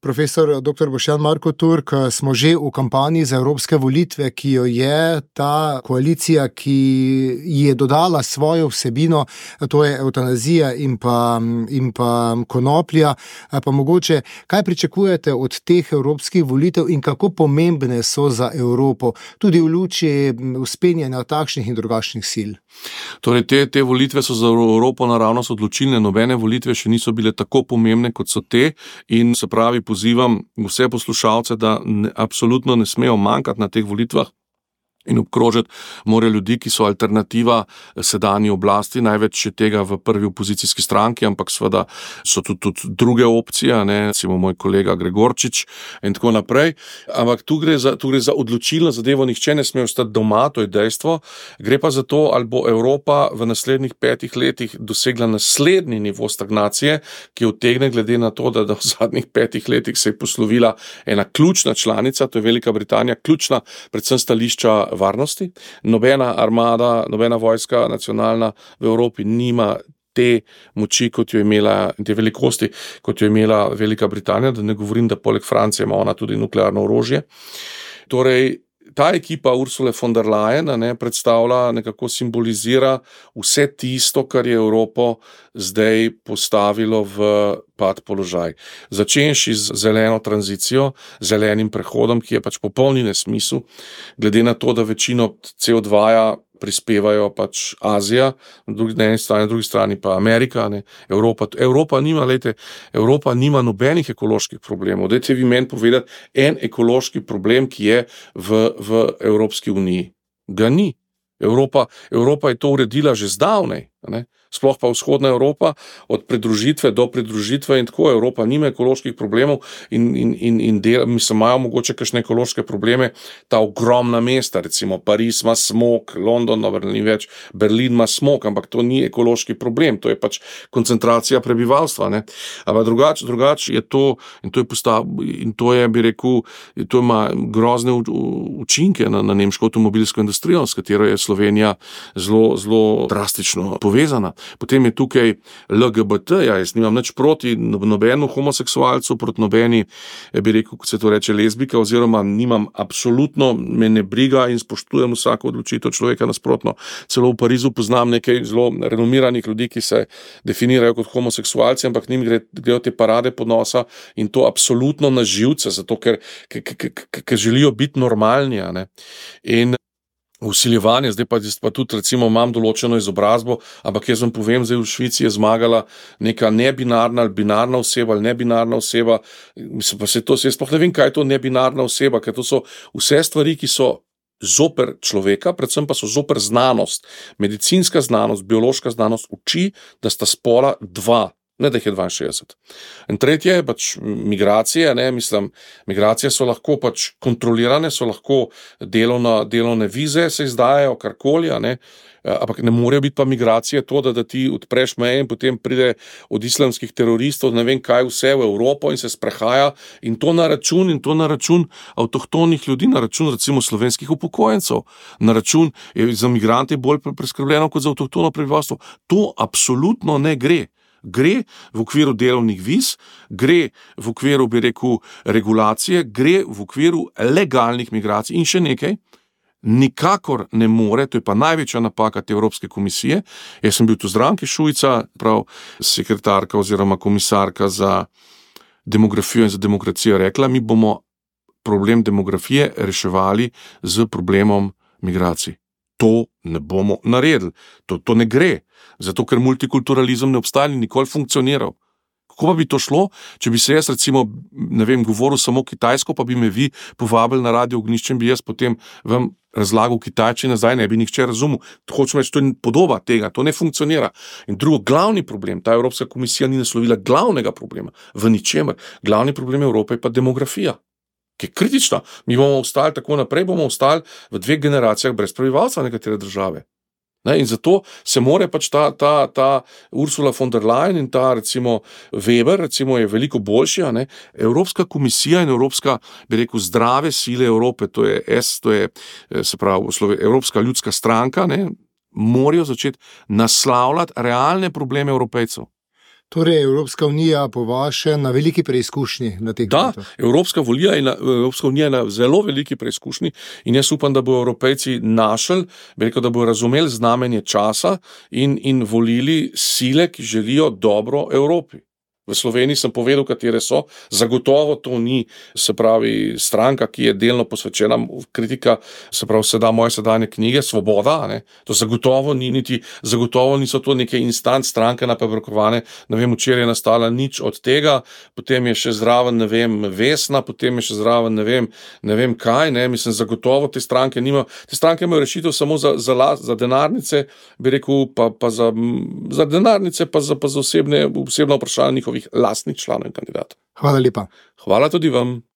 Profesor dr. Boštjan Marko Turk, smo že v kampanji za evropske volitve, ki jo je ta koalicija, ki je dodala svojo vsebino, to je evtanazija in pa konoplja. Pa mogoče, kaj pričakujete od teh evropskih volitev in kako pomembne so za Evropo, tudi v luči vzpenjanja takšnih in drugačnih sil? Torej, te volitve so za Evropo naravnost odločilne, nobene volitve še niso bile tako pomembne, kot so te, in se pravi, pozivam vse poslušalce, da absolutno ne smejo manjkati na teh volitvah in obkrožiti morajo ljudi, ki so alternativa sedanji oblasti, največ še tega v prvi opozicijski stranki, ampak seveda so tudi druge opcije, recimo moj kolega Gregorčič in tako naprej. Ampak tu gre za odločilno zadevo, nihče ne sme ostati doma, to je dejstvo. Gre pa za to, ali bo Evropa v naslednjih 5 letih dosegla naslednji nivo stagnacije, ki utegne glede na to, da v zadnjih 5 letih se je poslovila ena ključna članica, to je Velika Britanija, ključna predvsem stališča varnosti. Nobena armada, nobena vojska nacionalna v Evropi nima te moči, kot jo imela, te velikosti, kot jo imela Velika Britanija, da ne govorim, da poleg Francije ima ona tudi nuklearno orožje. Torej, ta ekipa Ursule von der Leyen predstavlja, nekako simbolizira vse tisto, kar je Evropo zdaj postavilo v pad položaj. Začenši z zeleno tranzicijo, zelenim prehodom, ki je pač popolni nesmisel, glede na to, da večino CO2 prispevajo pač Azija, na eni strani, na drugi strani pa Amerika. Evropa nima nobenih ekoloških problemov. Dajte vi meni povedati en ekološki problem, ki je v Evropski uniji. Ga ni. Evropa je to uredila že zdavnej. Sploh pa vzhodna Evropa, od pridružitve do pridružitve in tako, Evropa nima ekoloških problemov in mislim, imajo mogoče kakšne ekološke probleme ta ogromna mesta, recimo Pariz ima smog, London, ni več, Berlin ima smog, ampak to ni ekološki problem, to je pač koncentracija prebivalstva. Ampak drugače je to, in to je, bi rekel, to ima grozne učinke na nemško avtomobilsko industrijo, s katero je Slovenija zelo drastično povezana. Potem je tukaj LGBT, jaz nimam nič proti nobenu homoseksualcu, proti nobeni, bi rekel, kot se to reče, lezbika, oziroma nimam absolutno, me ne briga in spoštujem vsako odločitev človeka, nasprotno. Celo v Parizu poznam nekaj zelo renomiranih ljudi, ki se definirajo kot homoseksualci, ampak njim grejo te parade ponosa in to absolutno na živce, zato ker želijo biti normalni. In vsiljevanje, zdaj pa tudi recimo imam določeno izobrazbo, ampak jaz vam povem, zdaj v Švici je zmagala neka nebinarna ali binarna oseba ali nebinarna oseba, mislim pa jaz sploh ne vem, kaj je to nebinarna oseba, ker to so vse stvari, ki so zoper človeka, predvsem pa so zoper znanost. Medicinska znanost, biološka znanost uči, da sta spola 2. Ne, da jih je 62. In tretje je pač migracije, migracije so lahko pač kontrolirane, so lahko delovne vize se izdajajo, karkoli, ampak ne morejo biti pa migracije to, da ti odpreš meje in potem pride od islamskih teroristov, ne vem kaj vse v Evropo in se sprehaja in to na račun avtohtonih ljudi, na račun recimo slovenskih upokojencev, na račun za migrante bolj preskrbljeno kot za avtohtono prebivalstvo. To absolutno ne gre. Gre v okviru delovnih viz, gre v okviru, bi rekel, regulacije, gre v okviru legalnih migracij in še nekaj. Nikakor ne more, to je pa največja napaka te Evropske komisije. Jaz sem bil tu z Ranke Šuica, prav sekretarka oziroma komisarka za demografijo in za demokracijo rekla, mi bomo problem demografije reševali z problemom migracij. To ne bomo naredili. To ne gre. Zato, ker multikulturalizem ne obstaja in nikoli funkcioniral. Kako pa bi to šlo, če bi se jaz recimo, govoril samo kitajsko, pa bi me vi povabili na Radio Ognjišče in bi jaz potem vam razlagal kitajčine, zdaj ne bi nihče razumel. Hočem reči, to je podoba tega, to ne funkcionira. In drugo, glavni problem, ta Evropska komisija ni naslovila glavnega problema v ničemer. Glavni problem Evrope je pa demografija, ki je kritična. Mi bomo ostali tako naprej, bomo ostali v 2 generacijah brez prebivalstva nekatere države. In zato se more pač ta Ursula von der Leyen in ta recimo Weber recimo je veliko boljši. Evropska komisija in Evropska, bi rekel, zdrave sile Evrope, to je se pravi Evropska ljudska stranka, morajo začeti naslavljati realne probleme Evropejcev. Torej je Evropska unija po vaše na veliki preizkušnji na teh Da, Evropska unija je na zelo veliki preizkušnji in jaz upam, da bodo Evropejci našli, da bodo razumeli znamenje časa in volili sile, ki želijo dobro Evropi. V Sloveniji sem povedal, katere so. Zagotovo to ni, se pravi, stranka, ki je delno posvečena kritika, se pravi, moje sedanje knjige, Svoboda, ne? To zagotovo niso to neke instant stranke napaberkovane, ne vem, včeraj je nastala nič od tega, potem je še zraven, ne vem, Vesna, potem je še zraven, ne vem kaj, ne, mislim, zagotovo te stranke imajo rešitev samo za denarnice, bi rekel, pa za denarnice, pa za osebna vprašanja njihovih lastnih članov in kandidatov. Hvala lepa. Hvala tudi vam.